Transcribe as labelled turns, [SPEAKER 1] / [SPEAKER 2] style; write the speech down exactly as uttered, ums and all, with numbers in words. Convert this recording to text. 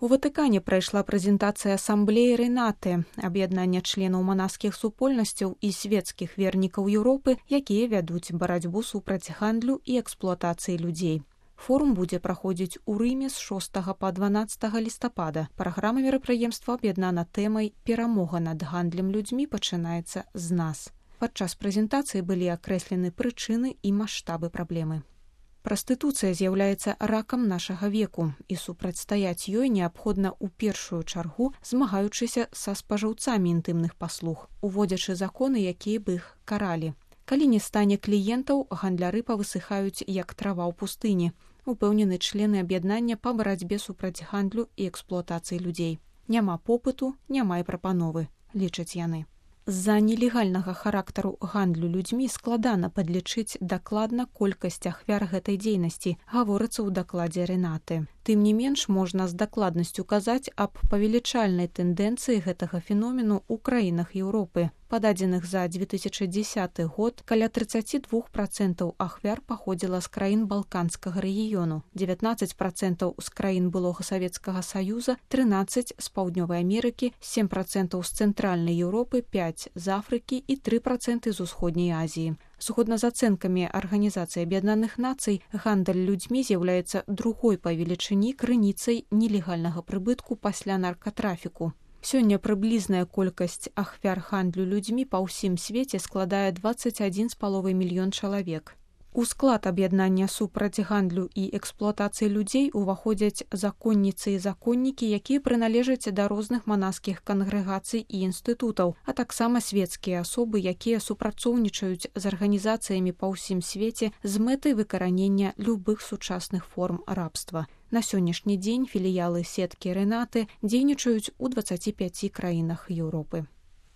[SPEAKER 1] У Ватыкане прайшла прэзентацыя асамблеі Рэнаты, аб'яднання членаў манаскіх супольнасцяў і свецкіх вернікаў Еўропы, якія вядуць барацьбу супраць гандлю і эксплуатацыі людзей. Форум будзе праходзіць у Рыме з шостага па дванаццатага лістапада. Праграма мерапрыемства аб'яднана тэмай «Перамога над гандлем людзьмі пачынаецца з нас». Падчас прэзентацыі былі акрэслены прычыны і маштабы праблемы. Прастытуцыя з'яўляецца ракам нашага веку, і супрацьстаяць ёй неабходна ў першую чаргу, змагаючыся са спажыўцамі інтымных паслуг, уводзячы законы, якія б іх каралі. Калі не стане кліентаў, гандляры павысыхаюць як трава ў пустыні, упэўнены члены аб'яднання па барацьбе супраць гандлю і эксплуатацыі людзей. Няма попыту, няма і прапановы, лічаць яны. З-за нелегальнага характару гандлю людзьмі складана падлічыць дакладна колькасць ахвяр гэтай дзейнасці, гаворыцца ў дакладзе Рэнаты. Тым не менш, можна з дакладнасцю казаць аб павелічальнай тэндэнцыі гэтага феномену ў краінах Еўропы. Па дадзеных за две тысячы дзесяты год каля тридцать два процента ахвяр паходзіла з краін балканскага рэгіёну, дзевятнаццаць процентаў з краін былога Савецкага Саюза, трынаццаць з Паўднёвай Амерыкі, сем процентаў з Цэнтральнай Еўропы, пяць з Афрыкі і тры проценты з Усходняй Азіі. Згодна з ацэнкамі Арганізацыі Аб'яднаных Нацый, гандаль людзьмі з'яўляецца другой па велічыні крыніцай нелегальнага прыбытку пасля наркатрафіку. Сёння прыблізная колькасць ахвяр гандлю людзьмі па ўсім свеце складае дваццаць адзін з паловай мільён чалавек. У склад аб'яднання супраць гандлю і эксплуатацыі людзей уваходзяць законніцы і законнікі, якія прыналежаць да розных манаскіх кангрэгацый і інстытутаў, а таксама свецкія асобы, якія супрацоўнічаюць з арганізацыямі па ўсім свеце з мэтай выкаранення любых сучасных форм рабства. На сённяшні дзень філіялы сеткі Рэнаты дзейнічаюць у дваццаці пяці краінах Еўропы.